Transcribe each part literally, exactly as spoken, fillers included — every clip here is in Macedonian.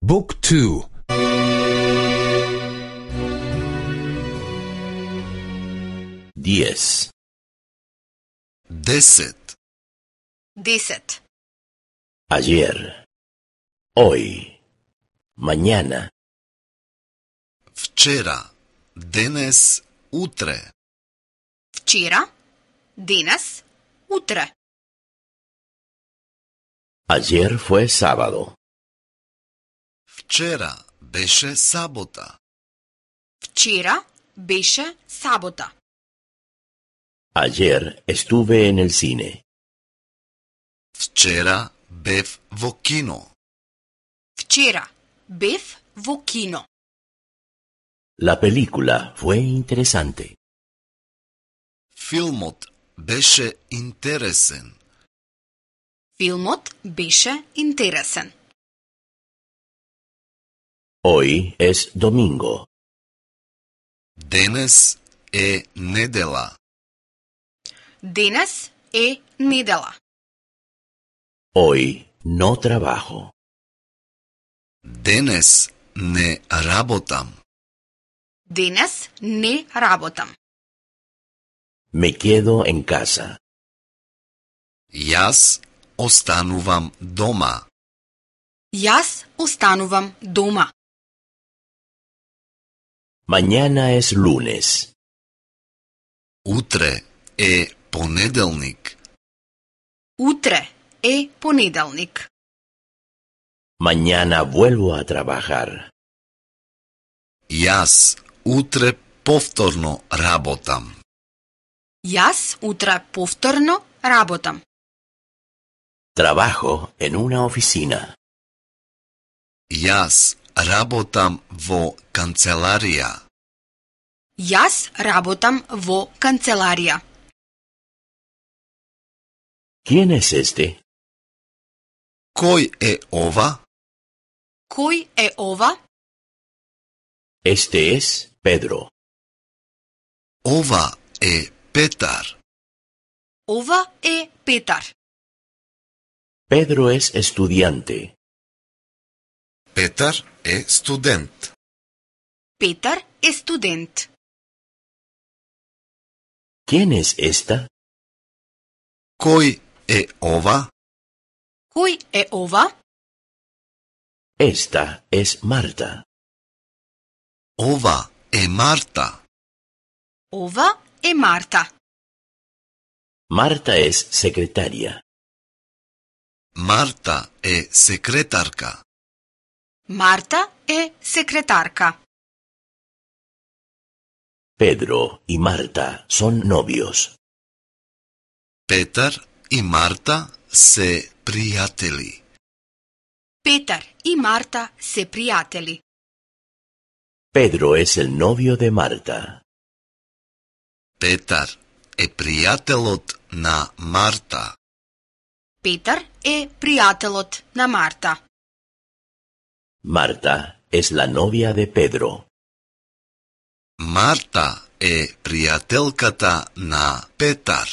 Book two. Diez. Десет. Десет. Ayer. Hoy. Mañana. Вчера. Денес. Утре. Вчера, денес, утре. Ayer fue sábado. Вчера беше сабота. Вчера беше сабота. Ayer estuve en el cine. Вчера бев во кино. Вчера бев во кино. La película fue interesante. Филмот беше интересен. Филмот беше интересен. Hoy es domingo. Денес е недела. Денес е недела. Hoy no trabajo. Денес не работам. Денес не работам. Me quedo en casa. Јас останувам дома. Јас останувам дома. Mañana es lunes. Утре е понеделник. Утре е понеделник. Mañana vuelvo a trabajar. Јас утре повторно работам. Јас утре повторно работам. Trabajo en una oficina. Јас работам во канцеларија. Јас работам во канцеларија. ¿Quién es este? Кој е ова? Кој е ова? Este es Pedro. Ова е Петар. Ова е Петар. Pedro es estudiante. Петар е студент. Петар е студент. ¿Quién es esta? Кој е ова? Кој е ова? Esta es Marta. Ова е Марта. Ова е Марта. Marta es secretaria. Марта е секретарка. Марта е секретарка. Pedro y Marta son novios. Петар и Марта се пријатели. Петар и Марта се пријатели. Pedro es el novio de Marta. Петар е пријателот на Марта. Петар е пријателот на Марта. Marta es la novia de Pedro. Марта е пријателката на Петар.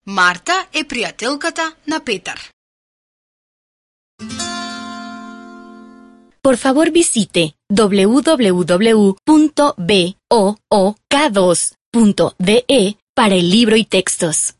Марта е пријателката на Петар. Por favor visite doble u doble u doble u punto book dos punto de para el libro y textos.